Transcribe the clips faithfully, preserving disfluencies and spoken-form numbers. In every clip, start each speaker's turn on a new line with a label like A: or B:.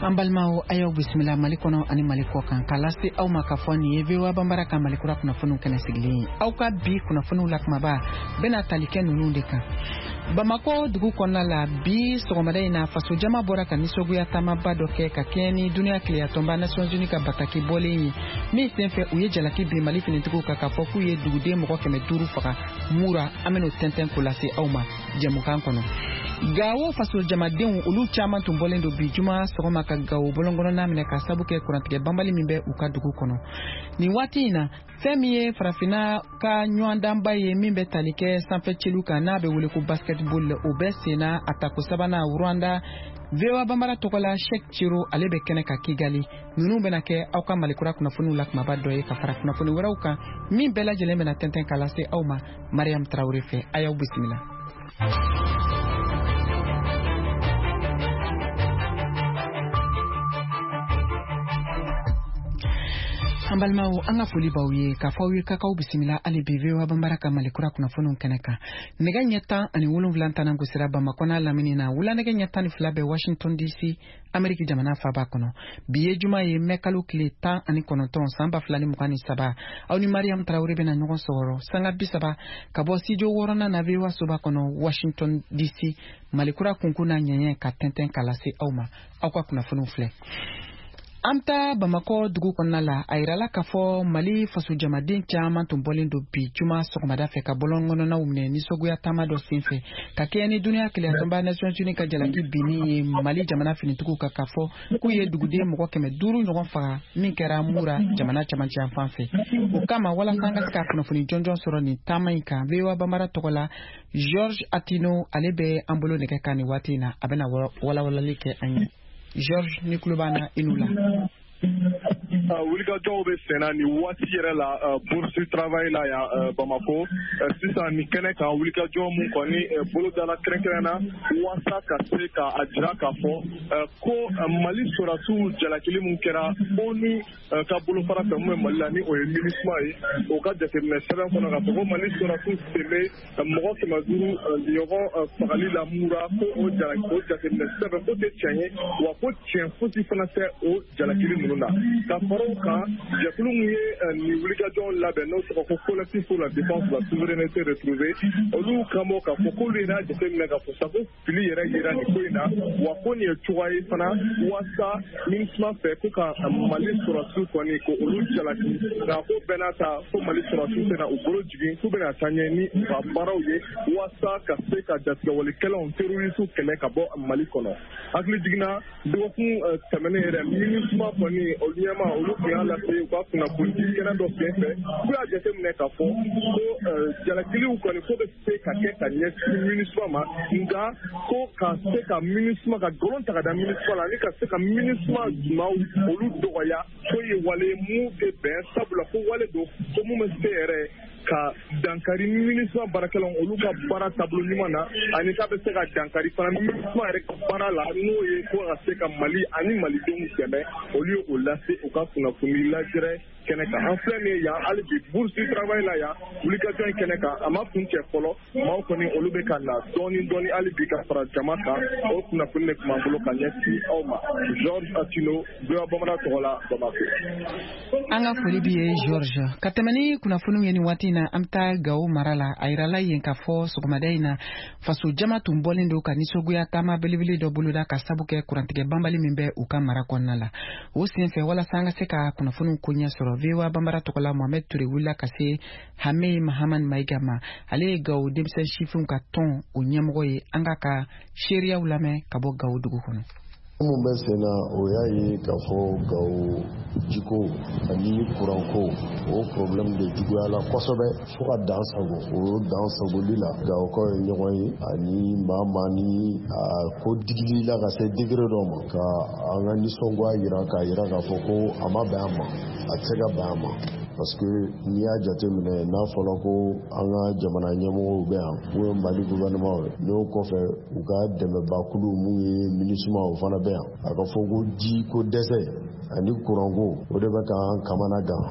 A: An balimaw, a y'aw bisimila Mali kɔnɔ ani Mali kɔ kan, k'a lase aw ma k'a fɔ nin ye V O A Banbara ka Mali kura kunnafoniw kɛnɛ sigilen ye. Aw ka bi kunnafoniw la kumaba bɛna tali kɛ ninnu de kan. Bamakɔ dugu kɔnɔna la, bi sɔgɔmada in na, fasojama bɔra ka nisɔngoya taamaba dɔ kɛ ka kɛɲɛ ni duniya keleyatɔnba Nations Unies ka bataki bɔlen ye, min senfɛ u ye jalaki bin Mali finitigiw kan k'a fɔ k'u ye duguden mɔgɔ kɛmɛ duuru faga Mura. An bɛn'o tɛntɛn k'o lase aw ma jɛmukan kɔnɔ. Gawo fasojamadenw, olu caman tun bɔlen don bi juma sɔgɔma ka Gawo bɔlɔnkɔnɔna minɛ ka sabu kɛ kurantigɛ banbali min bɛ u ka dugu kɔnɔ nin waati in na. Fɛn min ye farafinna ka ɲɔgɔndanba ye min bɛ tali kɛ sanfɛ celu kan, n'a bɛ wele ko basketball, o bɛ senna a tako sabanan Rwanda. V O A Banbara tɔgɔ la, Cheick Chero, ale bɛ kɛnɛ ka Kigali. Ninnu bɛna kɛ aw ka Malikura kunnafoniw la kumaba dɔ ye, ka fara kunnafoni wɛrɛw kan min bɛɛ lajɛlen bɛna tɛntɛn k'a lase aw ma Mariam Tarawele fɛ. A y'aw bisimila. An balimaw, an ka foli b'aw ye k'a fɔ aw ye k'aw bisimila hali bi V O A Banbara ka Malikura kunnafoniw kɛnɛ kan. Nɛgɛ ɲɛ tan ani wolonwula tanan gosira Bamakɔ n'a lamini na, wulanɛgɛ ɲɛ tan ni fila bɛ Washington D C, Ameriki jamana faba kɔnɔ. Bi ye juma ye, mɛ kalo tile tan ani kɔnɔntɔn, san ba fila ni mugan ni saba. Aw ni Mariam Tarawele bɛna ɲɔgɔn sɔrɔ sanga bi saba ka bɔ studio wɔɔrɔnan na V O A soba kɔnɔ, Washington D C. Malikura kunkun n'a ɲɛɲɛ ka tɛntɛn k'a lase aw ma. Aw ka kunnafoniw filɛ. An bɛ taa Bamakɔ dugu kɔnɔna la. A yirala k'a fɔ Mali fasojamaden caman tun bɔlen don bi juma sɔgɔmada fɛ ka bɔlɔnkɔnɔnaw minɛ nisɔngoya taama dɔ senfɛ ka kɛɲɛ ni duniya keleyatɔnba Nations Unies ka jalaki binni ye Mali jamana finitigiw kan, k'a fɔ k'u ye duguden mɔgɔ kɛmɛ duuru ɲɔgɔn faga min kɛra Mura, jamana camancɛ yan fɛ. O kama, walasa an ka se ka kunnafoni jɔnjɔn sɔrɔ nin taama in kan, V O A Banbara tɔgɔ la, George Atino, ale bɛ an bolo nɛgɛ kan nin waati in na, a bɛna walawalali kɛ an ye. George, ni tulo b'an na, i n'u la.
B: Wulikajɔw bɛ senna nin waati yɛrɛ la Bourse du Travail la yan Bamako sisan. Nin kɛnɛ kan, wulikajɔ mun kɔni bolo dala kɛrɛnkɛrɛn na waasa ka se ka a jira k'a fɔ ko Mali sɔrɔdasiw jalakili mun kɛra O N U ka bolofara fɛ mun bɛ Mali la, ni o ye MINUSMA ye, o ka jateminɛ sɛbɛn kɔnɔ k'a fɔ ko Mali sɔrɔdasiw sen bɛ mɔgɔ kɛmɛ duuru ɲɔgɔn fagali la Mura, ko o jalaki o jateminɛ sɛbɛn ko tɛ tiɲɛ ye, wa ko tiɲɛ fosi fana tɛ o jalakili ninnu na. Ka fara o kan, jɛkulu mun ye nin wulikajɔw labɛn, n'o tɔgɔ ko Collectif pour la défense de la souveraineté retrouvée, olu kan bɔ k'a fɔ k'olu yɛrɛ y'a jateminɛ k'a fɔ sa ko fili yɛrɛ yera nin ko in na, wa ko nin ye cogoya ye fana waasa MINUSMA fɛ ko ka Mali sɔrɔdasiw kɔni ko olu jalaki. Nka ko bɛɛ n'a ta, ko Mali sɔrɔdasiw tɛna u bolo jigin, k'u bɛna taa ɲɛ ni u ka baaraw ye waasa ka se ka jatigɛwalekɛlaw, terroriste kɛlɛ ka bɔ Mali kɔnɔ. Hakili jiginna dɔgɔkun tɛmɛnen yɛrɛ, MINUSMA kɔni olu ɲɛma, olu tun y'a lase u ka kunnafoni kɛnɛ dɔ sen fɛ k'u y'a jateminɛ k'a fɔ ko jalakiliw kɔni ko bɛ se ka kɛ ka ɲɛsin MINUSMA ma, nka ko ka se ka MINUSMA ka nkalon ta ka da MINUSMA la ani ka se ka MINUSMA maaw olu dɔgɔya, ko ye wale mun tɛ bɛn, sabula ko wale don ko mun bɛ se yɛrɛ ka dankari MINUSMA baarakɛlaw olu ka baara taabolo ɲuman na, ani k'a bɛ se ka dankari fana MINUSMA yɛrɛ ka baara la, n'o ye ko ka se ka Mali ani malidenw dɛmɛ. Olu ye o lase u ka kunnafoni lajɛrɛ kɛnɛ kan. An filɛ nin ye yan hali bi Bourse du Travail la yan, wulikajɔ in kɛnɛ kan, a ma kun cɛ fɔlɔ. Maaw kɔni olu bɛ ka na dɔɔni dɔɔni hali bi ka fara jama kan. O kunnafoni de tun b'an bolo ka ɲɛsin aw ma. George Atino, V O A Bamanan tɔgɔ la, Bamako.
A: An ka foli b'i ye, George. Ka tɛmɛ ni kunnafoniw ye nin waati in na, an bɛ taa Gawo mara la. A yirala yen k'a fɔ sɔgɔmada in na, faso jama tun bɔlen don ka nisɔngoya taama belebele dɔ boloda ka sabu kɛ kurantigɛ banbali min bɛ u ka mara kɔnɔna la. O senfɛ, walasa an ka se ka kunnafoniw koɲɛ sɔrɔ, V O A Banbara tɔgɔ la, Mohamed Ture wulila ka se Hame Mahamad Mayiga ma. Ale ye Gawo denmisɛn sifinw ka tɔn o ɲɛmɔgɔ ye. An k'a ka seereyaw lamɛn ka bɔ Gawo dugu kɔnɔ.
C: Minnu bɛ sen na, o y'a ye k'a fɔ Gawo jiko ani kuranko, o problème de juguyala kosɛbɛ fo ka dan sago. O dan sagoli la, Gawokaw ye ɲɔgɔn ye ani maa maa ni a ko digili la ka se degré dɔ ma, ka an ka nisɔngoya yira, k'a yira k'a fɔ ko a ma bɛn a ma, a tɛ se ka bɛn a ma, parce que n'i y'a jateminɛ, n'a fɔra ko an ka jamana ɲɛmɔgɔw bɛ yan, n'o ye Mali gouvernement ye, n'o kɔfɛ u ka dɛmɛbakulu mun ye MINUSMA, o fana bɛ yan, a ka fɔ ko ji ko dɛsɛ ani kuranko, o de bɛ k'an kamana gan.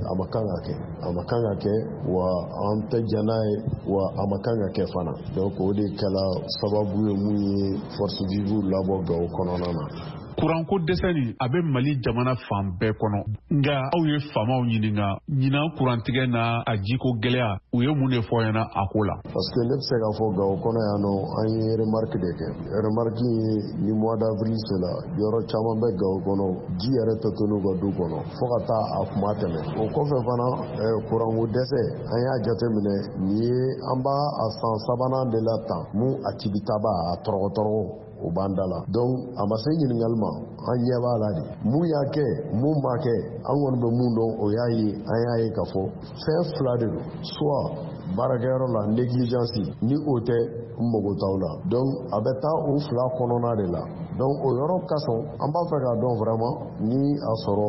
C: A ma kan ka kɛ, a ma kan ka kɛ, wa an tɛ jɛn n'a ye, wa a ma kan ka kɛ fana. Donc o de kɛla sababu ye mun ye force vive labɔ Gawo kɔnɔna na.
D: Kuranko dɛsɛ nin, a bɛ Mali jamana fan bɛɛ kɔnɔ. Nka aw ye faamaw ɲininka ɲinan kurantigɛ n'a a jiko gɛlɛya, u ye mun de fɔ ɲɛna a ko la?
C: Parce que ne bɛ se k'a fɔ Gawo kɔnɔ yan nɔ, an ye remarque de kɛ. Remarque ye, ni mois d'avril sera, yɔrɔ caman bɛ Gawo kɔnɔ, ji yɛrɛ tɛ to n'u ka du kɔnɔ fo ka taa a kuma tɛmɛ. O kɔfɛ fana, kuranko dɛsɛ, an y'a jateminɛ nin ye, an b'a a san sabanan de la tan mun a tibitaba a tɔrɔgɔ tɔrɔgɔ o b'an da la. Donc a ma se ɲininkali ma, an ɲɛ b'a la de. Mun y'a kɛ, mun m'a kɛ, an kɔni bɛ mun dɔn, o y'a ye, an y'a ye k'a fɔ fɛn fila de don: soit baarakɛyɔrɔ la négligence, ni o tɛ, n mago t'aw la. Donc a bɛ taa o fila kɔnɔna de la. Donc o yɔrɔ kasɔn, an b'a fɛ k'a dɔn vraiment ni a sɔrɔ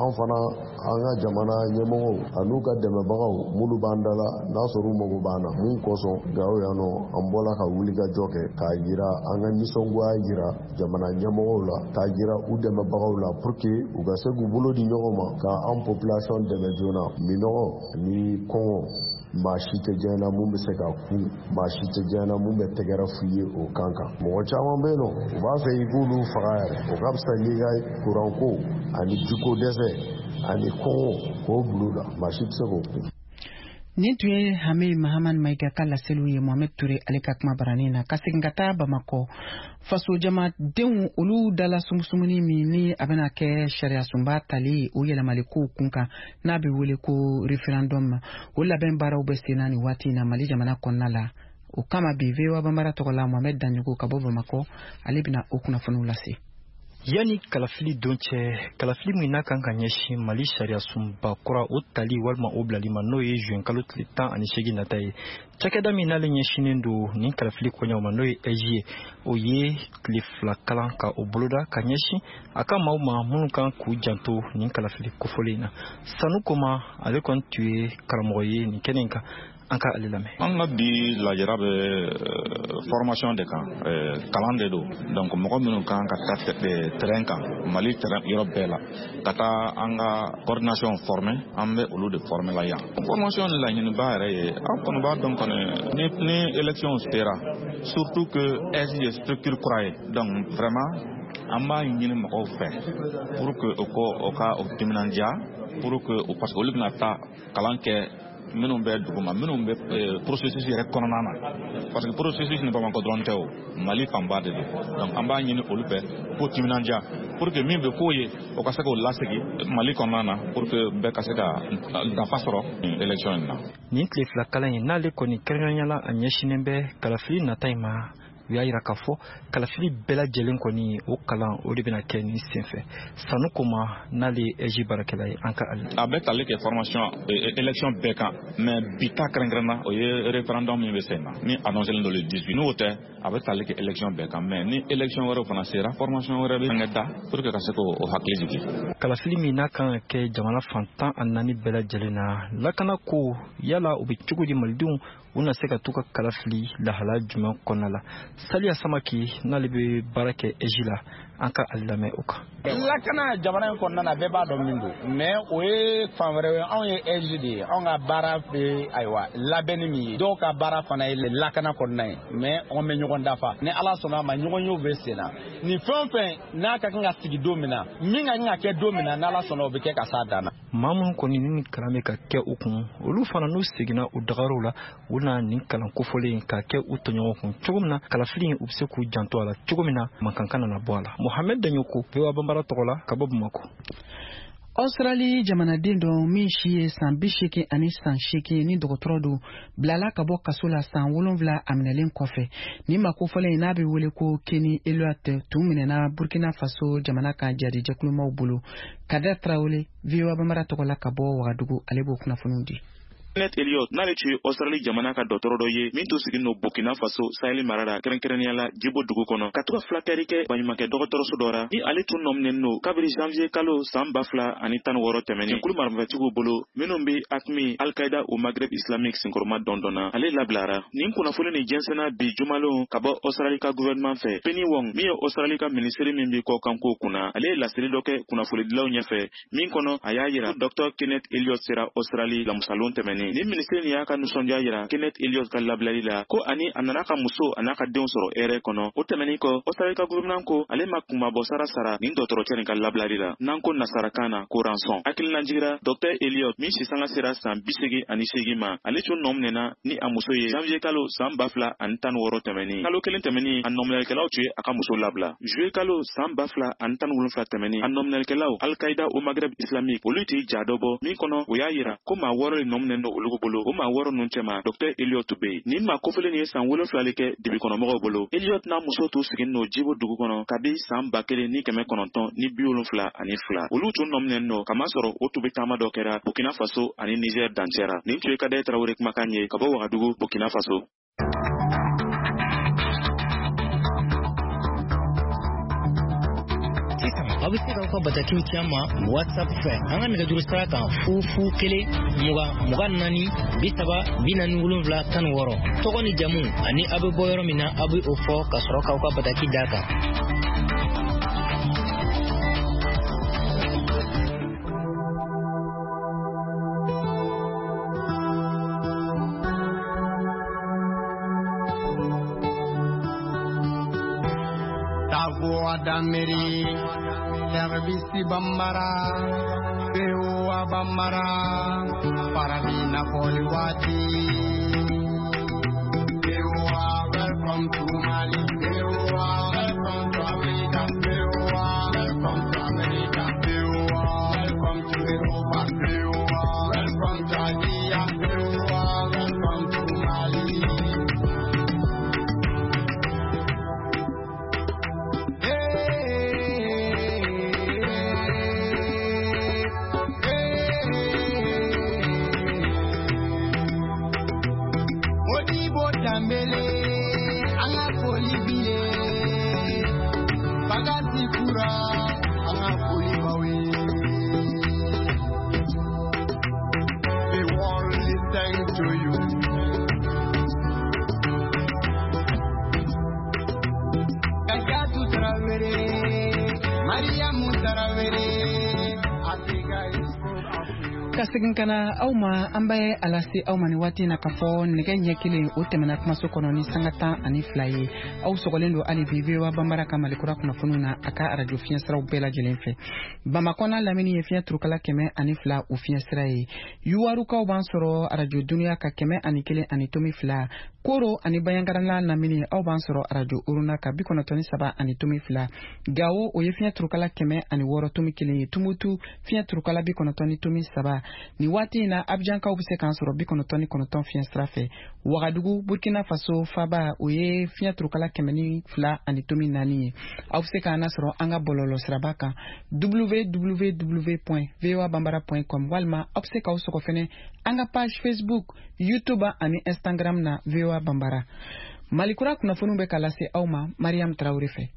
C: an fana, an ka jamana ɲɛmɔgɔw an'u ka dɛmɛbagaw minnu b'an da la, n'a sɔrɔ u mago b'an na mun kosɔn Gawo yan nɔ, an bɔla ka wuli ka jɔ kɛ k'a yira an ka nisɔngoya yira jamana ɲɛmɔgɔw la, k'a yira u dɛmɛbagaw la, pour que u ka se k'u bolo di ɲɔgɔn ma ka an population dɛmɛ joona. Minɔgɔ ni kɔngɔ, maa si tɛ diɲɛ na mun bɛ se ka kun, maa si tɛ diɲɛ na mun bɛ tɛgɛrɛ f'u ye o kan kan. Mɔgɔ caman bɛ yen nɔ, u b'a fɛ i k'olu faga yɛrɛ, o ka fisa n'i ka kuranko ani jiko dɛsɛ ani kɔngɔ k'o bil'u la, maa si tɛ se k'o kun.
A: Nin tun ye Hame Mahaman Mayiga ka laseliw ye Mohamed Ture ale ka kuma baranin na. Ka segin ka taa Bamakɔ, faso jamadenw olu dala sumusumuni min ni a bɛna kɛ sariyasunba tali o yɛlɛmalikow kun kan, n'a bɛ wele ko référendum, o labɛn baaraw bɛ sen na nin waati in na Mali jamana kɔnɔna la. O kama bi, V O A Banbara tɔgɔ la, Mohamed Daɲogo ka bɔ Bamakɔ, ale bɛna o kunnafoniw lase.
E: Yanni kalafili don cɛ, kalafili min n'a kan ka ɲɛsin Mali sariyasunba kura o tali walima o bilali ma, n'o ye juin kalo tile tan ani seegin nata ye, cakɛda min n'ale ɲɛsinnen don nin kalafili koɲɛw ma, n'o ye A I J ye, o ye tile fila kalan ka o boloda ka ɲɛsin a ka maaw ma minnu kan k'u janto nin kalafili kofɔlen in na. Sanu Koma, ale kɔni tun ye karamɔgɔ ye nin kɛnɛ in kan, an ka ale lamɛn.
F: An ka bi lajɛra bɛ formation de kan, kalan de don. Donc mɔgɔ minnu kan ka taa terrain kan, Mali terrain yɔrɔ bɛɛ la, ka taa an ka coordination former, an bɛ olu de former la yan. Formation laɲiniba yɛrɛ ye, an kɔni b'a dɔn kɔni ni ni élection sera, surtout que A I J ye structure kura ye. Donc vraiment an b'a ɲini mɔgɔw fɛ pour que o ko o ka o timinandiya, pour que parce que olu bɛna taa kalan kɛ minnu bɛ duguma, minnu bɛ processus yɛrɛ kɔnɔna na, parce que processus ni Bamakɔ dɔrɔn tɛ, o Mali fanba de don. Donc an b'a ɲini olu fɛ k'o timinandiya pour que min bɛ k'o ye, o ka se k'o lasegin Mali kɔnɔna na, pour que bɛɛ ka se ka nafa sɔrɔ élection in na.
E: Nin tile fila kalan in n'ale kɔni kɛrɛnkɛrɛnnenya la, a ɲɛsinnen bɛ kalafili nata in ma. U y'a yira k'a fɔ kalafili bɛɛ lajɛlen kɔni, o kalan o de bɛna kɛ nin senfɛ. Sanu Koma, n'ale ye A I J baarakɛla ye, an ka ale.
F: A bɛ tali kɛ formation élection bɛɛ kan, mais bi ta kɛrɛnkɛrɛnna, o ye référendum min bɛ sen na ni annoncé don le dix-huit. N'o tɛ, a bɛ tali kɛ élection bɛɛ kan, mais ni élection wɛrɛw fana sera, formation wɛrɛ bɛ kɛ da pour que ka se k'o hakili jigin.
E: Kalafili min n'a kan ka kɛ jamana fan tan ani naani bɛɛ lajɛlen na, lakana ko yala o bɛ cogo di? Malidenw u na se ka t'u ka kala fili lahala jumɛn kɔnɔna la? Saliya Samaki, n'ale bɛ baara kɛ A I J la, an ka ale lamɛn o kan.
G: Lakana jamana in kɔnɔna na, bɛɛ b'a dɔn min don, mais o ye fan wɛrɛ ye. Anw ye A I J de ye, anw ka baara bɛ ayiwa labɛnni min ye, dɔw ka baara fana ye lakana kɔnɔna ye, mais anw bɛ ɲɔgɔn dafa. Ni Ala sɔnna a ma, ɲɔgɔn yew bɛ sen na. Nin fɛn o fɛn n'a ka kan ka sigi don min na, min ka kan ka kɛ don min na, n'Ala sɔnna, o bɛ kɛ ka s'a dan na.
E: Maa minnu kɔni ni nin kalan bɛ ka kɛ u kun, olu fana n'u seginna u dagayɔrɔw la, u na nin kalan kofɔlen in k'a kɛ u tɔɲɔgɔn kun cogo min na, kalafili in u bɛ se k'u janto a la cogo min na, mankan kana na bɔ a la. Mohamɛd Daɲoko, V O A Banbara tɔgɔ la, ka bɔ Bamakɔ.
A: Australie jamanaden dɔ min si ye san bi seegin ani san seegin ni dɔgɔtɔrɔ don, bilala ka bɔ kaso la san wolonwula a minɛlen kɔfɛ. Nin ma kofɔlen n'a bɛ wele ko Kenny Elliott tun minɛna Burkina Faso jamana ka jadijɛkulumaw bolo. Kader Tarawele, V O A Banbara tɔgɔ la, ka bɔ Wagadugu, ale b'o kunnafoniw di.
H: Kenneth Elliott, n'ale tun ye Australie jamana ka dɔgɔtɔrɔ dɔ ye min tun sigin don Burkina Faso Sahel mara la, kɛrɛnkɛrɛnnenya la Jibo dugu kɔnɔ, ka to ka furakɛli kɛ baɲumankɛ dɔgɔtɔrɔso dɔ ra, ni ale tun nɔminɛnen don kabiri janvier kalo san ba fila ani tan ni wɔɔrɔ tɛmɛnen jɛkulu marifatigiw bolo minnu bɛ AQMI, Al-Qaïda au Maghreb islamique senkɔrɔma dɔndɔnna. Ale labilara. Nin kunnafoni nin jɛnsɛnna bi jumalon ka bɔ Australie ka gouvernement fɛ. Penny Wong, min ye Australie ka minisiri min bɛ kɔkanko kunna, ale ye laseli dɔ kɛ kunnafonidilaw ɲɛfɛ min kɔnɔ a y'a yira Docteur Kenneth Elliott sera Australie lamusalon tɛmɛnen. tɛmɛnen. Ni minisiri nin y'a ka nisɔndiya yira Kenneth Elliott ka labilali la, ko ani a nana ka muso a n'a ka denw sɔrɔ hɛrɛ kɔnɔ. O tɛmɛnen kɔ, Australie ka gouvernement ko ale ma kunmabɔ sara sara nin dɔgɔtɔrɔcɛ nin ka labilali la, n'an ko nasarakan na ko rançon. Hakilina jigira Docteur Elliott min si sanga sera san bi seegin ani seegin ma, ale tun nɔ minɛna ni a muso ye janvier kalo san ba fila ani tan ni wɔɔrɔ tɛmɛnen. Kalo kelen tɛmɛnen, a nɔminɛlikɛlaw tun ye a ka muso labila. Juillet kalo san ba fila ani tan ni wolonfila tɛmɛnen, a nɔminɛlikɛlaw Al-Qaïda au Maghreb islamique olu tun ye ja dɔ bɔ min kɔnɔ, o y'a yira ko maa wɔɔrɔ de nɔ minɛnen don olu bolo. O maa wɔɔrɔ ninnu cɛma, Docteur Elliott bɛ yen. Nin maa kofɔlen nin ye san wolonfila de kɛ dibikɔnɔmɔgɔw bolo. Elliott n'a muso tun sigilen don Jibo dugu kɔnɔ kabi san ba kelen ni kɛmɛ kɔnɔntɔn ni bi wolonfila ani fila. Olu tun nɔ minɛnen don kamasɔrɔ o tun bɛ taama dɔ kɛra Burkina Faso ani Niger dancɛ ra. Nin tun ye Kadɛ Tarawele kumakan ye ka bɔ Wagadugu, Burkina Faso.
I: Aw bɛ se k'aw ka batakiw ci an ma WhatsApp fɛ an ka nɛgɛjuru sira kan fu fu kelen mugan mugan naani bi saba bi naani wolonwula tan ni wɔɔrɔ. Tɔgɔ ni jamu ani aw bɛ bɔ yɔrɔ min na, aw bɛ o fɔ ka sɔrɔ k'aw ka bataki d'a kan.
J: Dameri, Service Bambara, V O A Bambara, Paravina Poliwati. V O A, welcome to Mali. V O A, welcome to Africa. V O A, welcome to America. V O A, welcome to Europa. V O A, welcome to Asia. V O A, welcome to Mali.
A: Ka segin ka na aw ma, an bɛ a lase aw ma ni waati na k'a fɔ nɛgɛ ɲɛ kelen o tɛmɛna kumaso kɔnɔ ni sanga tan ani fila ye. Aw sɔgɔlen don hali bi V O A Bambara ka Malikura kunnafoniw na a ka arajo fiɲɛsiraw bɛɛ lajɛlen fɛ. Bamakɔ n'a lamini ye fiɲɛ turukala kɛmɛ ani fila o fiɲɛsira ye. Yuwarukaw b'an sɔrɔ arajo duniya ka kɛmɛ ani kelen ani tomi fila. Koro ani Bandiagara n'a lamini aw b'an sɔrɔ arajo Oruna ka bi kɔnɔntɔn ni saba ani tomi fila. Gawo o ye fiɲɛ turukala kɛmɛ ani wɔɔrɔ tomi kelen ye. Tumutu fiɲɛ turukala bi kɔnɔntɔn ni tomi saba. Ni waati in na Abidjankaw bɛ se k'an sɔrɔ bi kɔnɔntɔn ni kɔnɔntɔn fiɲɛ sira fɛ. Wagadugu, Burkina Faso faba o ye fiɲɛ turukala kɛmɛ ni fila ani tomi naani ye. Aw bɛ se k'an lasɔrɔ an ka bɔlɔlɔ siraba kan w w w point v o a bambara point com walima aw bɛ se k'aw sɔgɔ fɛnɛ an ka page Facebook, YouTube ani Instagram na V O A Bambara. Malikura kunnafoniw bɛ ka lase aw ma Mariam Traoré fɛ.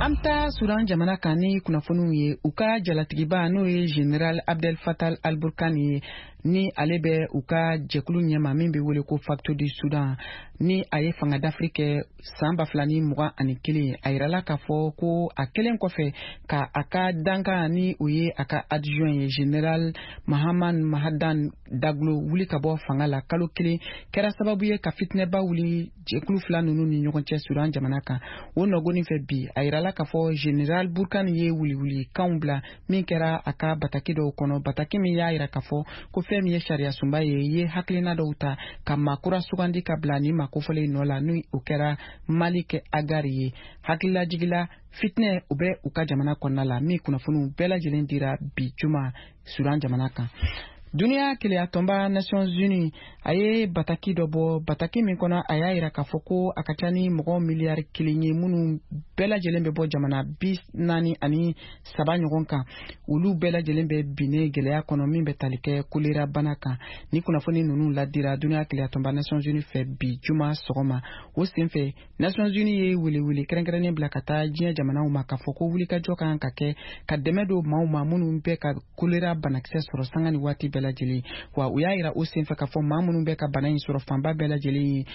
A: An bɛ taa Sudan jamana kan ni kunnafoniw ye. U ka jalatigiba n'o ye Général Abdel Fattah al-Burhan ye, ni ale bɛ u ka jɛkulu ɲɛma min bɛ wele ko Facto du Sudan, ni a ye fanga dafiri kɛ san ba fila ni mugan ani kelen. A yirala k'a fɔ ko a kelen kɔfɛ ka a ka dankan ni o ye a ka adjoint ye Général Mahaman Mahadan Daglo wuli ka bɔ fanga la kalo kelen kɛra sababu ye ka fitinɛba wuli jɛkulu fila ninnu ni ɲɔgɔn cɛ Sudan jamana kan. O nɔgɔnin fɛ bi, a yirala k'a fɔ Général Burhan ye wuliwulikanw bila min kɛra a ka bataki dɔw kɔnɔ, bataki min y'a yira k'a fɔ ko fɛn min ye sariya sunba ye, ye hakilina dɔw ta ka maa kura sugandi ka bila ni maa kofɔlen nɔ la, ni o kɛra Malik Agar ye. Hakililajigila fitinɛ o bɛ u ka jamana kɔnɔna la min kunnafoniw bɛɛ lajɛlen dira bi juma Sudan jamana kan. Duniya keleyatɔnba Nations Unies a ye bataki dɔ bɔ, bataki min kɔnɔ a y'a yira k'a fɔ ko a ka ca ni mɔgɔ miliyari kelen ye minnu bɛɛ lajɛlen bɛ bɔ jamana bi naani ani saba ɲɔgɔn kan. Olu bɛɛ lajɛlen bɛ binnen gɛlɛya kɔnɔ min bɛ tali kɛ kolera bana kan. Ni kunnafoni ninnu ladira duniya keleyatɔnba Nations Unies fɛ bi juma sɔgɔma. O senfɛ Nations Unies ye welewele kɛrɛnkɛrɛnnen bila ka taa diɲɛ jamanaw ma k'a fɔ ko wulikajɔ kan ka kɛ ka dɛmɛ don maaw ma minnu bɛ ka kolera banakisɛ sɔrɔ sanga ni waati bɛɛ lajɛlen. Wa u y'a yira o senfɛ k'a fɔ maa minnu bɛ ka bana in sɔrɔ fanba bɛɛ lajɛlen ye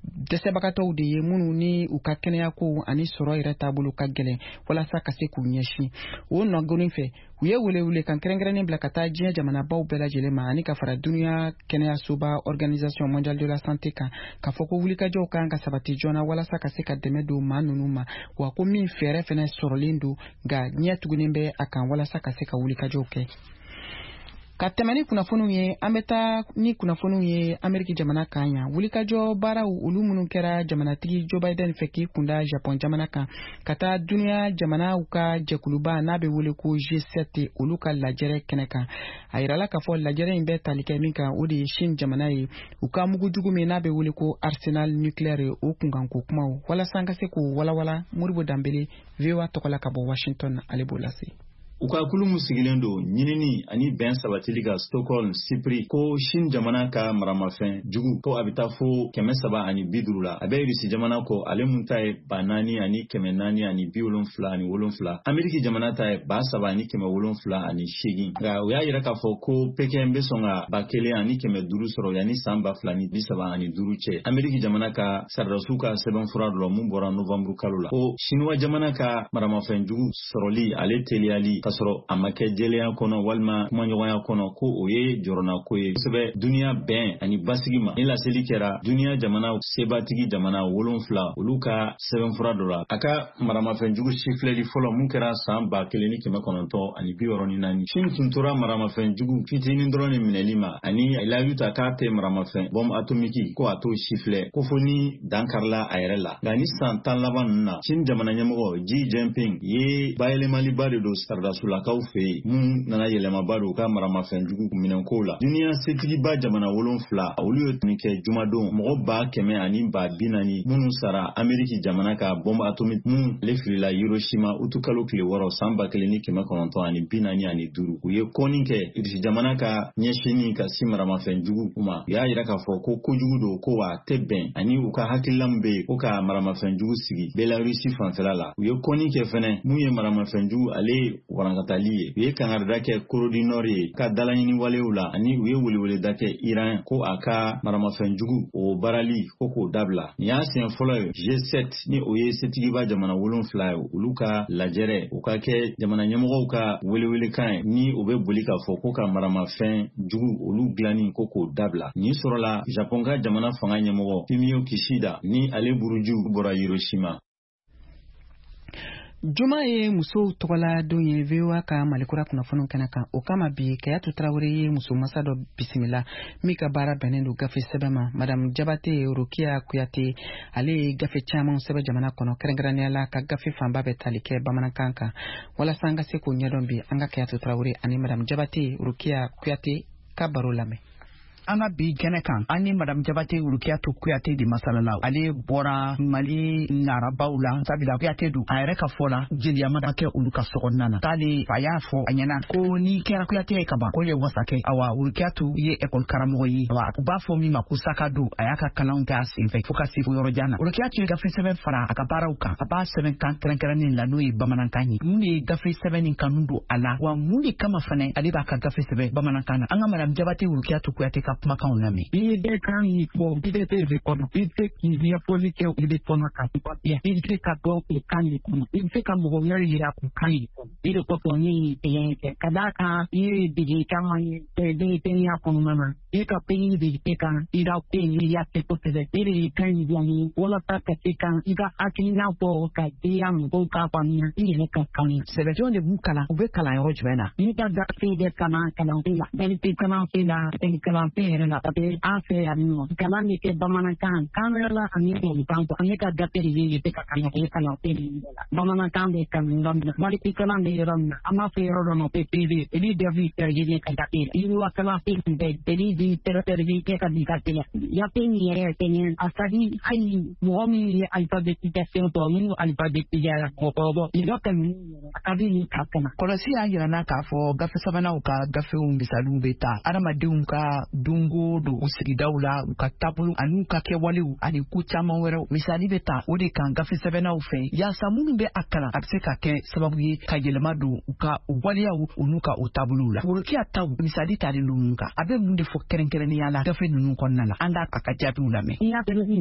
A: dɛsɛbagatɔw de ye minnu ni u ka kɛnɛyako ani sɔrɔ yɛrɛ taabolo ka gɛlɛn walasa ka se k'u ɲɛsin o nɔgɔnin fɛ. U ye welewele kan kɛrɛnkɛrɛnnen bila ka taa diɲɛ jamanabaw bɛɛ lajɛlen ma ani ka fara dunuya kɛnɛyasoba Organisation mondiale de la santé kan, k'a fɔ ko wulikajɔw kan ka sabati joona walasa ka se ka dɛmɛ don maa ninnu ma, wa ko min fɛɛrɛ fɛnɛ sɔrɔlen don, nka ɲɛ tugunnen bɛ a kan walasa ka se ka wulikajɔw kɛ. Ka tɛmɛ ni kunnafoniw ye, an bɛ taa ni kunnafoniw ye Ameriki jamana kan yan. Wulikajɔ baaraw olu minnu kɛra jamanatigi Joe Biden fɛ k'i kunda Japon jamana kan ka taa dunuya jamanaw ka jɛkuluba n'a bɛ wele ko G sept olu ka lajɛrɛ kɛnɛ kan. A yirala k'a fɔ lajɛrɛ in bɛ tali kɛ min kan, o de ye Chine jamana ye, u ka mugujugu min n'a bɛ wele ko arsenal nucléaire o kunkanko kumaw. Walasa an ka se k'o walawala, Modibo Danbele V O A tɔgɔ la ka bɔ Washington, ale b'o lase.
K: U ka kulu min sigilen don ɲinini ani bɛn sabatili ka Stockholm, Sipiri, ko Chine jamana ka maramafɛn jugu ko a bɛ taa fo kɛmɛ saba ani bi duuru la. A bɛ Irisi jamana kɔ, ale mun ta ye ba naani ani kɛmɛ naani ani bi wolonfila ani wolonfila. Ameriki jamana ta ye ba saba ani kɛmɛ wolonfila ani seegin. Nka u y'a yira k'a fɔ ko Pekin bɛ sɔn ka ba kelen ani kɛmɛ duuru sɔrɔ yanni san ba fila ni bi saba ani duuru cɛ. Ameriki jamana ka sardasiw ka sɛbɛnfura dɔ mun bɔra novanburu kalo la, ko Sinuwa jamana ka maramafɛn jugu sɔrɔli ale teliyali k'a sɔrɔ a ma kɛ jɛlenya kɔnɔ walima kumaɲɔgɔnya kɔnɔ, ko o ye jɔrɔnako ye kosɛbɛ duniya bɛn ani basigi ma. Ni laseli kɛra duniya jamana sebatigi jamana wolonfila olu ka sɛbɛnfura dɔ la, a ka maramafɛnjugu sifilɛli fɔlɔ mun kɛra san ba kelen ni kɛmɛ kɔnɔntɔn ani bi wɔɔrɔ ni naani. Chine tun tora maramafɛnjugu fitinin dɔrɔn de minɛli ma ani layidu ta k'a tɛ maramafɛn bɔnbu atomiki ko a t'o sifilɛ, ko fo ni dan karila a yɛrɛ la. Nka ni san tan laban ninnu na, Chine jamana ɲɛmɔgɔ Xi Jinping ye bayɛlɛmaliba de don saradasulakaw fɛ yen mun nana yɛlɛmaba don u ka maramafɛnjugu minɛnkow la. Duniya setigiba jamana wolonfila olu ye tun kɛ jumadon mɔgɔ ba kɛmɛ ani ba bi naani minnu sara Ameriki jamana ka bɔnbu atomiki mun ale filila Hiroshima utukalo tile wɔɔrɔ san ba kelen ni kɛmɛ kɔnɔntɔn ani bi naani ani duuru. U ye kɔnni kɛ Irisi jamana ka ɲɛsinni ka si maramafɛnjugu ma. U y'a yira k'a fɔ ko kojugu don, ko wa a tɛ bɛn ani u ka hakilila min bɛ yen ko ka maramafɛnjugu sigi Belarusi fanfɛla la. U ye kɔnni kɛ fɛnɛ mun ye maramafɛnjugu ale warankatali ye. U ye kangarida kɛ Corée du Nord ye ka dalaɲini walew la, ani u ye weleweleda kɛ Iran ko a ka maramafɛnjugu o baarali ko k'o dabila. Nin y'a siɲɛ fɔlɔ ye G sept ni o ye setigiba jamana wolonfila ye olu ka lajɛrɛ o ka kɛ jamana ɲɛmɔgɔw ka welewelekan ye ni o bɛ boli k'a fɔ ko ka maramafɛn jugu olu dilanni ko k'o dabila. Nin sɔrɔla Japon ka jamana fanga ɲɛmɔgɔ Fumio Kishida ni ale buruju bɔra Hiroshima.
A: Juma ye musow tɔgɔla don ye V O A ka Malikura kunnafoniw kɛnɛ kan. O kama bi, Kayatu Tarawele ye muso masa dɔ bisimila min ka baara bɛnnen don gafe sɛbɛn ma. Madame Jabate Rokiya Kuyate, ale ye gafe caman sɛbɛn jamana kɔnɔ, kɛrɛnkɛrɛnnenya la ka gafe fanba bɛ tali kɛ bamanankan kan. Walasa an ka se k'o ɲɛdɔn bi, an ka Kayatu Tarawele ani Madame Jabate Rokiya Kuyate ka baro lamɛn.
L: An ka bi kɛnɛ kan, an ni Madame Jabate Rukiyatu Kuyate de masala la. Ale bɔra Mali narabaw la, sabula Kuyate don. A yɛrɛ ka fɔ la, jeliya ma kɛ olu ka sokɔnɔna na. K'ale fa y'a fɔ a ɲɛna ko n'i kɛra Kuyate ye ka ban, ko ye wasa kɛ. Awa Rukiyatu ye ekɔli karamɔgɔ ye. Awa u b'a fɔ min ma ko sakado. A y'a ka kalanw kɛ a senfɛ fo ka se fo yɔrɔ jan na. Rukiyatu ye gafe sɛbɛn fara a ka baaraw kan. A b'a sɛbɛn kan kɛrɛnkɛrɛnnen la, n'o ye bamanankan ye. Mun de ye gafe sɛbɛn nin kanu don a la? Wa mun de kama fɛnɛ ale b'a ka gafe sɛbɛn bamanankan na? An ka Madame Jabate Rukiyatu Kuyate ka kumakanw lamɛn.
M: I bɛ kan in fɔ i bɛ de kɔnɔ, i bɛ se k'i ɲɛfɔli kɛ i bɛ kɔnɔ ka i bɛ se ka dɔn o kan in kɔnɔ, i bɛ se ka mɔgɔ wɛrɛ yira o kan in kɔnɔ. I de kosɔn ne ye sɛgɛn kɛ ka d'a kan i ye dege caman ye denmisɛnninya kɔnɔna na. I ka pɛɲi de kɛ kan i ka pɛɲi i y'a kɛ kosɛbɛ. E de ye kan in dilan ye walasa ka se kan i ka hakilina fɔ ka diya mɔgɔw k'a faamuya i yɛrɛ ka kan ye.
L: Sɛbɛndenw de b'u kalan, u bɛ kalan yɔrɔ jumɛn na?
M: Ne ka gafe bɛ kalan kalanso la, bɛɛ kalanso la, kalanso yɛrɛ la, parce que an fɛ yan nɔ kalan bɛ kɛ bamanankan kan wɛrɛ la ani tubabukan. Ne ka gafe de bɛ se ka kalan o kalanso ninnu bɛɛ la. Bamanankan bɛ kalan yɔrɔ min na, maliki kalan bɛ yɔrɔ min na, an b'a fɔ yɔrɔ dɔ ma ko P V, olu bɛɛ b'i tɛrɛjɛ ka gafe la. Yiriwa kalanso ninnu bɛɛ olu b'i tɛrɛjɛ kɛ ka di gafe la. Gafe in yɛrɛ fɛnɛ a ka di hali mɔgɔ min ye alphabétisation sɔrɔ, minnu alphabétisera mɔgɔkɔrɔbaw mɔgɔ ka ninnu yɛrɛ a ka di nin ka kalan.
L: Kɔlɔsi y'a yira n na k'a fɔ gafe sɛbɛnnaw ka gafew misaliw bɛ ta adamadenw ka dun don o don u sigidaw la, u ka taabolo ani u ka kɛwalew ani ko caman wɛrɛw. Misali bɛ ta o de kan gafe sɛbɛnnaw fɛ, yaasa minnu bɛ a kalan a bɛ se ka kɛ sababu ye ka yɛlɛma don u ka u waleyaw u n'u ka o taabolow la. Worokiya taw misali talen don mun kan, a bɛ mun de fɔ kɛrɛnkɛrɛnnenya la gafe ninnu kɔnɔna la? An k'a a ka jaabiw lamɛn.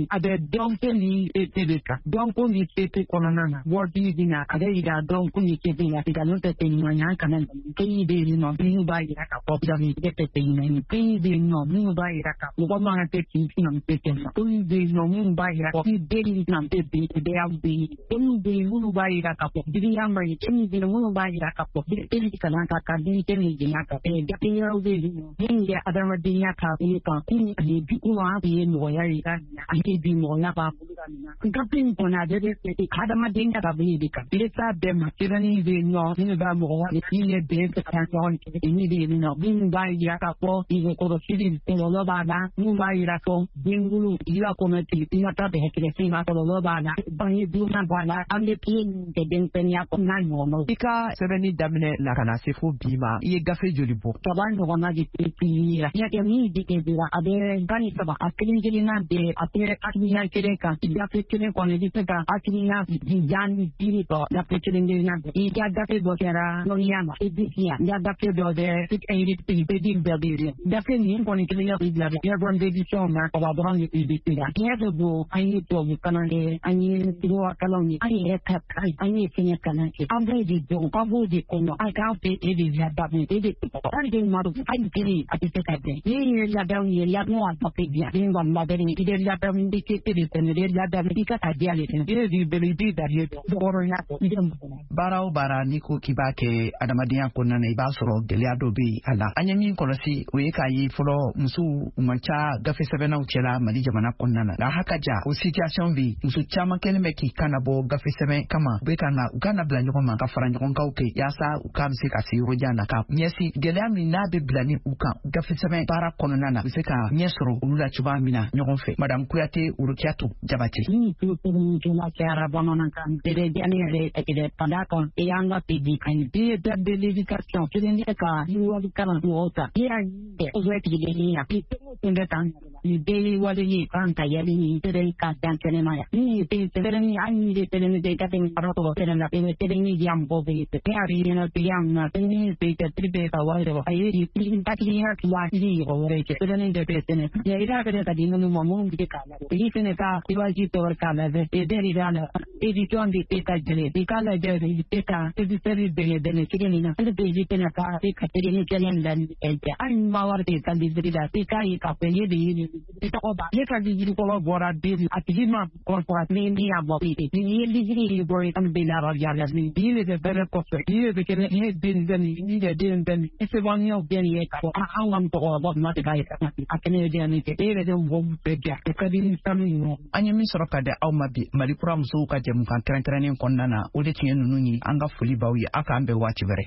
M: A bɛ dɔnko ni E P de kan. Dɔnko ni E P kɔnɔna na, wɔri bɛ na, a bɛ yira dɔnko ni E P la, nkalon tɛ tɛ ɲumanya kana. Pays bɛ yen nɔ minnu b'a yira k'a fɔ nkalon tɛ tɛ ɲuman ye. Pays bɛ yen nɔ minnu b'a yira k'a mɔgɔ man kan tɛ k'i na tɛ tɛ ma. Pays bɛ yen nɔ minnu b'a yira k'a fɔ den ni na tɛ bɛn bɛɛ bɛ yen. Pays bɛ yen minnu b'a yira k'a fɔ girinya man ɲi. Pays bɛ yen minnu b'a yira k'a fɔ den kalan ka kan, den ni jɛnya kan. Gafe wɛrɛw bɛ yen nɔ minnu bɛ adamadenya taabolo kan, kun ani bi kun an ye mɔgɔya yira, ani bi mɔgɔya b'an bolo ka nin na. Gafe in kɔnɔ, a bɛɛ bɛ fɛ adamadenya taabolo de kan. I t'a bɛɛ ma, sɛbɛnni bɛ yen nɔ minnu b'a mɔgɔya min ye bɛn fɛ ka ɲɔgɔn kɛ, min bɛ yen nɔ minnu b'a yira k'a fɔ nɛgɛkɔrɔsigi kɔlɔlɔ b'a la, minnu b'a yira fɔ denkolo i b'a kɔnɔ ten, i ka taa bɛn kɛrɛfɛ ma, kɔlɔlɔ b'a la, bange joona b'a la, an bɛ piye min kɛ denmisɛnninya kɔnɔ n'a ɲɔgɔnnaw.
L: I ka sɛbɛnni daminɛ la ka na se fo bi ma, i ye gafe joli bɔ?
M: Saba ɲɔgɔnna de tɛ la. Ɲɛ min bɛ kɛ a bɛ tan ni saba, a kelen kelenna bɛɛ a tɛ hakilina kelen kan. Gafe kelen kɔnɔ, i bɛ se ka hakilina jan ni duuru sɔrɔ gafe kelen kelenna bɛɛ. I ka gafe dɔ kɛra dɔnniya ma, i bɛ yan, i ka gafe dɔ bɛ bɛ bɛɛ bɛ yen. Gafe nin kɔni kelen bɛ bila yɛrɛ d'édition na, kaba dɔrɔn de bɛ se la. Tiɲɛ de don, an ye tubabu kalan kɛ, an ye droit kalanw ye, an yɛrɛ ka an ye fɛngɛ kalan kɛ, an b'o de dɔn, an b'o de kɔnɔ, an k'an fɛ e de ladamu, e de hali den ma don, hali kelen a tɛ se ka bɛn. Ni ye ladamu ye, ladamu a tɔ tɛ diya den kɔni labɛnni, i bɛ ladamu i tɛ e de fɛnɛ i bɛ ladamu i ka ka diya de fɛnɛ, e de bɛ i b'i dariye dɔn hɔrɔnya kɔ i bɛ mɔgɔ la.
L: Baara o baara n'i ko k'i b'a kɛ adamadenya kɔnɔna na, i b'a sɔrɔ gɛlɛya dɔ bɛ yen a la. An ye min kɔlɔsi, o ye k'a ye fɔlɔ musow u man ca gafe sɛbɛnnaw cɛla Mali jamana kɔnɔna na, nka haka ja o situation bɛ yen, muso caman kɛlen bɛ k'i kan nabɔ gafe sɛbɛn kama. U bɛ ka na u ka na bila ɲɔgɔn ma ka fara ɲɔgɔn kanw kɛ yaasa u k'a bɛ se ka se yɔrɔ jan na, ka ɲɛsin gɛlɛya min n'a bɛ bila ni u kan gafe sɛbɛn baara kɔnɔna na, u bɛ se ka ɲɛ sɔrɔ olu la cogoya min na ɲɔgɔn fɛ. Madame Kuyate Orokiyatu Jabate.
M: Ni tulo kɛra bamanankan bɛɛ ne yɛrɛ ɛgɛ ka d'a kan i y'an ka pedi ani bi da de l'éducation kelen ka yiriwali kalan mɔgɔw ta i y'a ye o bɛ tigɛlen ya i tɛ o tun bɛ tan ni bɛɛ ye wale ye kan ka yɛlɛ ni tɛrɛ ka dan kɛnɛma ya ni bɛ tɛrɛ ni an ni tɛrɛ ni ka tɛmɛ yɔrɔ tɔgɔ tɛrɛ la bɛ tɛrɛ ni diya mɔgɔw bɛ ye tɛ a bɛ ɲɛna tigiya min na tɛrɛ ni bɛ tɛ tɛrɛ bɛ ka wari sɔrɔ a ye hakili waati mɔgɔ wɛrɛ cɛ tɛrɛ ni de bɛ sɛnɛ ya i b'a fɛ ka di minnu ma minnu bɛ k'a la i fɛnɛ ka i b'a ji tɔgɔ k'a lajɛ e bɛɛ de b'a la édition de tɛ ka jɛnɛ i k'a lajɛ i tɛ ka éditeur bɛnɛ bɛnɛ cogo min na hali bɛ i tɛna ka i ka tɛrɛ ni kɛlɛ la ni ɛ hali ni ma wari tɛ ka livre la i k'a ye k'a fɔ ne de ye nin i tɔgɔ ba ne ka livre kɔrɔ bɔra den a tigi ma kɔrɔ ni ni y'a bɔ ni ye livre yi bɔ i kan bɛ la yala ni bi de bɛ bɛrɛ kɔfɛ ni de bɛ kɛ ne den bɛ nin ni de den bɛ nin i sɛbɛnniyaw bɛ nin ye k'a fɔ an ka mɔgɔkɔrɔba ma de b'a ye a kɛnɛ ye den kɛ e yɛrɛ de mɔgɔ bɛɛ diya o ka di ni sanu ye.
L: An ye min sɔrɔ ka di aw ma bi Mali kura musow ka jɛmukan kɛrɛnkɛrɛnnen kɔnɔna na, o de tun ye ninnu ye. An ka foli b'aw ye, aw k'an bɛn waati wɛrɛ.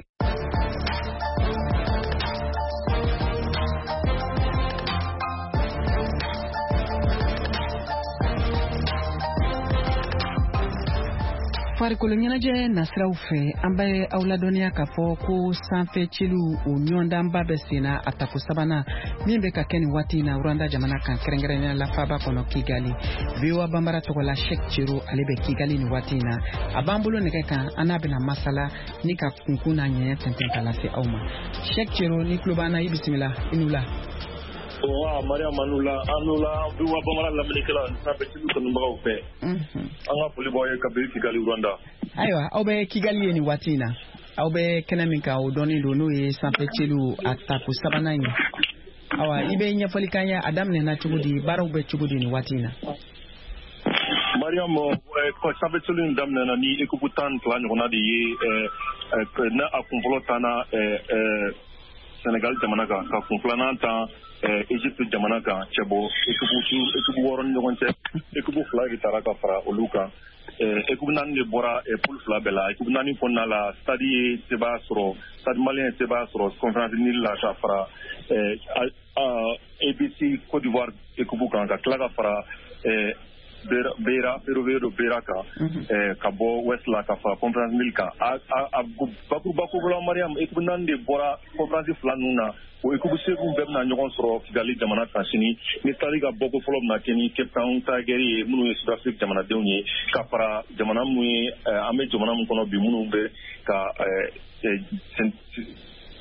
A: Farikolo ɲɛnajɛ nasiraw fɛ, an bɛ aw ladɔnniya k'a fɔ ko sanfɛ ciliw o ɲɔgɔndanba bɛ senna, a tako sabanan min bɛ ka kɛ nin waati in na Rwanda jamana kan, kɛrɛnkɛrɛnnenya la faaba kɔnɔ Kigali. V O A Banbara tɔgɔ la, Cheick Cero, ale bɛ Kigali nin waati in na, a b'an bolo nɛgɛ kan, an n'a bɛna masala ni ka kunkun n'a ɲɛɲɛ tɛntɛn ka lase aw ma. Cheick Cero, ni tulo b'an na, i bisimila, i ni wula.
B: Wa Mariam, an la an la V O A Bambara lamɛnnikɛla ani sanfɛ ciliw kanubagaw fɛ, an ka foli b'aw ye kabini Kigali, Rwanda.
A: Ayiwa, aw bɛ Kigali ye nin waati in na, aw bɛ kɛnɛ min kan, o dɔnnen don, n'o ye sanfɛ ciliw a tako sabanan ye. Awa, i bɛ ɲɛfɔli k'an ye, a daminɛna cogo di, baaraw bɛ cogo di nin waati in na?
B: Mariam, sanfɛ ciliw in daminɛna ni équipe tan ni fila ɲɔgɔnna de ye. N'a a kunfɔlɔ tanna Senegal jamana kan, ka kun filanan tan Egypte jamana kan, cɛbɔ équipe équipe wɔɔrɔ ni ɲɔgɔn cɛ, équipe fila de taara ka fara olu kan. Équipe naani de bɔra poule fila bɛɛ la. Équipe naani kɔnɔna la, Stade ye sebaaya sɔrɔ, Stade Malien ye sebaaya sɔrɔ Conférence Nil la ka fara A B C Côte d'Ivoire équipe kan, ka tila ka fara Beira, Ferroviario de Beira kan, ka bɔ West la ka fara Conférence Mille kan. A a bakuruba ko Mariam, équipe naani de bɔra conférence fila ninnu na. O équipe seegin bɛɛ bɛna ɲɔgɔn sɔrɔ Kigali jamana kan sini. Ni Stade ka bɔko fɔlɔ bɛna kɛ ni Cape Town Tigers ye, minnu ye Sud-Afrique jamanadenw ye, ka fara jamana minnu ye, an bɛ jamana min kɔnɔ bi, minnu bɛ ka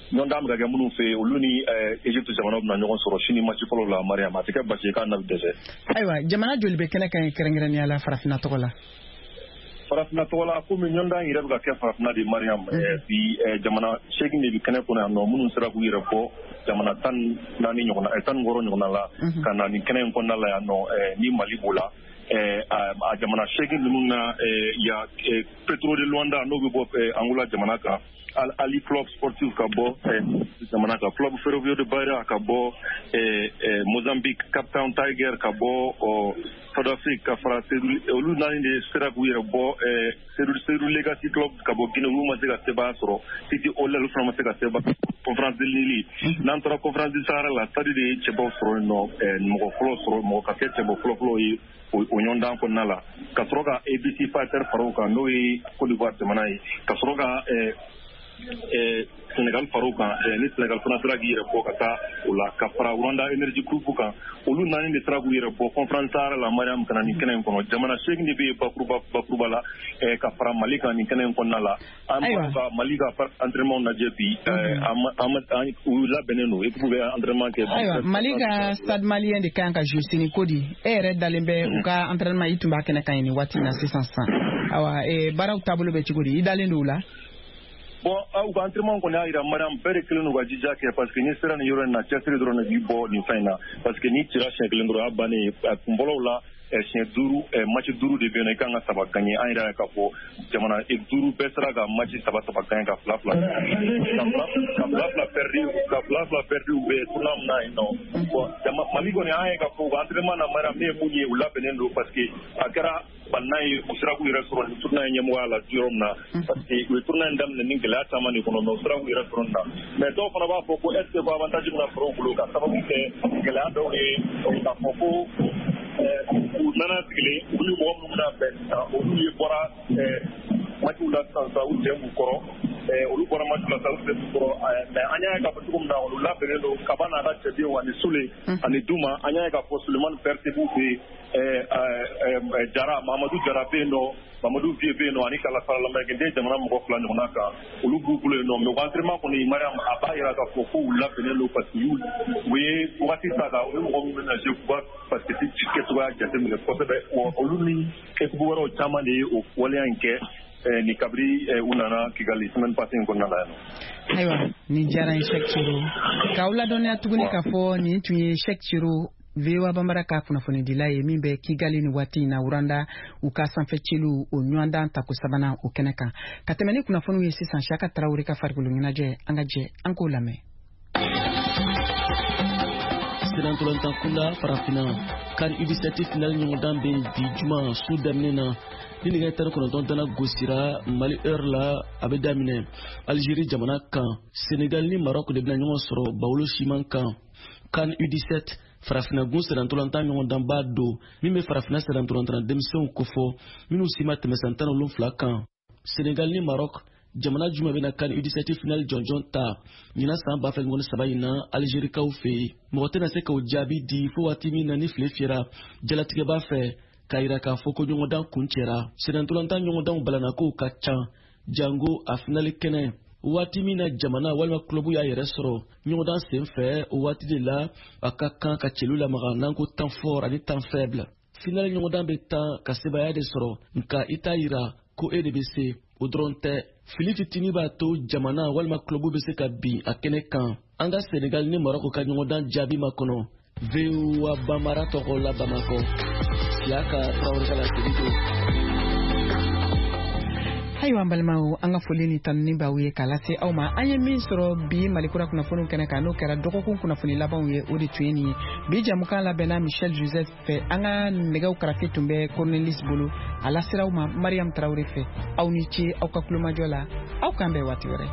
B: ɲɔgɔndan bɛ ka kɛ minnu fɛ, olu ni Egypte jamanaw bɛna ɲɔgɔn sɔrɔ sini match fɔlɔ la. Mariam, a tɛ kɛ basi ye k'a na bɛ dɛsɛ.
A: Ayiwa, jamana joli bɛ kɛnɛ kan ye kɛrɛnkɛrɛnnenya la farafinna tɔgɔ la?
B: Farafinna tɔgɔ la, komi ɲɔgɔndan yɛrɛ bɛ ka kɛ farafinna de, Mariam, bi jamana seegin de bɛ kɛnɛ kɔnɔ yan nɔ, minnu sera k'u yɛrɛ bɔ jamana tan naani ɲɔgɔnna, tan ni wɔɔrɔ ɲɔgɔnna la, ka na nin kɛnɛ in kɔnɔna la yan nɔ, ni Mali b'o la. A jamana seegin ninnu na, ya Petro de Luanda, n'o bɛ bɔ Angola jamana kan, Al Ali Club Sportif ka bɔ jamana kan, Club Ferroviario de Beira ka bɔ Mozambique, Cape Town Tiger ka bɔ South Afrique, ka fara olu naani de sera k'u yɛrɛ bɔ. Seydou Legacy Club ka bɔ Guinée, olu ma se ka sebaaya sɔrɔ. City Oilers, olu fana ma se ka sebaaya. Conférence de Lille, n'an taara Conférence du Sahara la, Stade de ye cɛbaw sɔrɔ yen nɔ, mɔgɔ fɔlɔ sɔrɔ, mɔgɔ ka kɛ cɛbɔ fɔlɔ-fɔlɔ ye o ɲɔgɔndan kɔnɔna la, ka sɔrɔ ka A B C Fighter fara o kan, n'o ye Côte d'Ivoire jamana ye, ka sɔrɔ ka Sénégal fara o kan, ni Sénégal fana sera k'i yɛrɛ bɔ ka taa o la, ka fara Rwanda Energy Group kan. Olu naani de sera k'u yɛrɛ bɔ Conférence Sahara la, Mariam, ka na nin kɛnɛ in kɔnɔ. Jamana seegin de bɛ yen bakuruba bakuruba la, ka fara Mali kan nin kɛnɛ in kɔnɔna la. An b'a ka Mali ka entraînement lajɛ bi, u labɛnnen don, équipe bɛ entraînement kɛ.
A: Ayiwa, Mali ka Stade Malien de kan ka jouer sini ko di? E yɛrɛ dalen bɛ u ka entraînement, i tun b'a kɛnɛ kan yen nin waati in na sisan sisan. Ayiwa, baaraw taabolo bɛ cogo di? I dalen don u la?
B: Bon, u ka entraînement kɔni y'a jira, Mariam, bɛɛ de kelen don ka jija kɛ, parce que n'i sera nin yɔrɔ in na, cɛsiri dɔrɔn de b'i bɔ nin fɛn in na, parce que n'i cira siɲɛ kelen dɔrɔn, o y'a bannen ye. Kun fɔlɔw la, siɲɛ duuru, match duuru de bɛ yen nɔ, i kan ka saba gagner. An yɛrɛ y'a ye k'a fɔ jamana duuru bɛɛ sera ka match saba saba gagner, ka fila fila ka fila fila perdu, ka fila fila perdu u bɛ tournoi min na yen nɔ. Bon, Mali kɔni, an ye k'a fɔ u ka entraînement na, Mariam, ne ye mun ye, u labɛnnen don, parce que a kɛra banna ye, u sera k'u yɛrɛ sɔrɔ nin tournoi in ɲɛmɔgɔya la yɔrɔ min na, parce que u ye tournoi in daminɛ ni gɛlɛya caman de kɔnɔ, mais u sera k'u yɛrɛ sɔrɔ nin na. Mais dɔw fana b'a fɔ ko est ce que ko avantage bɛna sɔrɔ u bolo, ka sababu kɛ gɛlɛya dɔw ye, k'a fɔ ko u nana sigilen, u ni mɔgɔ minnu bɛna bɛn sisan, olu ye bɔra matchw la sisan sisan, u cɛ b'u kɔrɔ, olu bɔra match la sisan, u cɛ b'u kɔrɔ. Mais an y'a ye k'a fɔ cogo min na, olu labɛnnen don, Kaba n'a ka cɛdenw ani Sule ani Duma. An y'a ye k'a fɔ Sulemani Berté b'u fɛ yen, Jara, Mamadou Jara bɛ yen nɔ, Mamadou Vie bɛ yen nɔ, ani kala fara lamerikɛnden jamana mɔgɔ fila ɲɔgɔnna kan, olu b'u bolo yen nɔ. Mais u ka entraînement kɔni, Mariam, a b'a jira k'a fɔ ko u labɛnnen don, parce que u ye wagati ta kan, u ye mɔgɔ minnu bɛna jouer, k'u ka basket kɛcogoya jateminɛ kosɛbɛ. Olu ni équipe wɛrɛw caman de ye o waleya in kɛ ni kabiri u nana Kigali semaine passée in kɔnɔna la yan nɔ.
A: Ayiwa, nin diyara n ye, Cheick Cero. K'aw ladɔnniya tuguni k'a fɔ nin tun ye Cheick Cero, V O A Bambara ka kunnafonidila ye, min bɛ Kigali ni waati in na, Rwanda u ka sanfɛ celu o ɲɔgɔndan tako sabanan o kɛnɛ kan. Ka tɛmɛ ni kunnafoniw ye sisan, Siaka Tarawele ka farikolo ɲɛnajɛ, an ka jɛ an k'o lamɛn.
N: Senatɔlɔntan kunda farafinna CAN U dix-sept finale ɲɔgɔndan bɛ bi juma su daminɛ na, ni nɛgɛ tan ni kɔnɔntɔn dana gosira Mali heure la, a bɛ daminɛ Algérie jamana kan. Sénégal ni Maroc de bɛna ɲɔgɔn sɔrɔ Bawolo siman kan. CAN U dix-sept farafinna gun senatɔlɔntan ɲɔgɔndanba don min bɛ farafinna senatɔlɔntan denmisɛnw kofɔ minnu si ma tɛmɛ san tan ni wolonwula kan. Sénégal ni Maroc, jamana jumɛn bɛna CAN U dix-sept finale jɔnjɔn ta ɲinan san ba fila ni mugan ni saba in na Algérikaw fɛ yen? Mɔgɔ tɛna se k'o jaabi di fo waati min na ni file fiyɛra jalatigɛba fɛ k'a yira k'a fɔ ko ɲɔgɔndan kuncɛra. Senatɔlɔntan ɲɔgɔndanw balanakow ka ca, jango a finale kɛnɛ. Waati min na jamana walima kulobu y'a yɛrɛ sɔrɔ ɲɔgɔndan sen fɛ, o waati de la a ka kan ka celu lamaga n'an ko temps fort ani temps faible. Finale ɲɔgɔndan bɛ tan ka sebaaya de sɔrɔ, nka i t'a yira ko e de bɛ se. O dɔrɔn tɛ, fili fitinin b'a to jamana walima kulobu bɛ se ka bin a kɛnɛ kan. An ka Sénégal ni Maroc ka ɲɔgɔndan jaabi ma kɔnɔ. V O A Bambara tɔgɔ la Bamakɔ, Siaka Tarawele ka laseli don.
A: Ayiwa, an balimaw, an ka foli ni tanuni b'aw ye k'a lase aw ma. An ye min sɔrɔ bi Malikura kunnafoniw kɛnɛ kan, n'o kɛra dɔgɔkun kunnafoni labanw ye, o de tun ye nin ye. Bi jamukan labɛnna Michel Joseph fɛ, an ka nɛgɛw karafe tun bɛ Cornelis bolo, a lasera aw ma Mariam Tarawele fɛ. Aw ni ce aw ka kulomajɔ la, aw k'an bɛn waati wɛrɛ.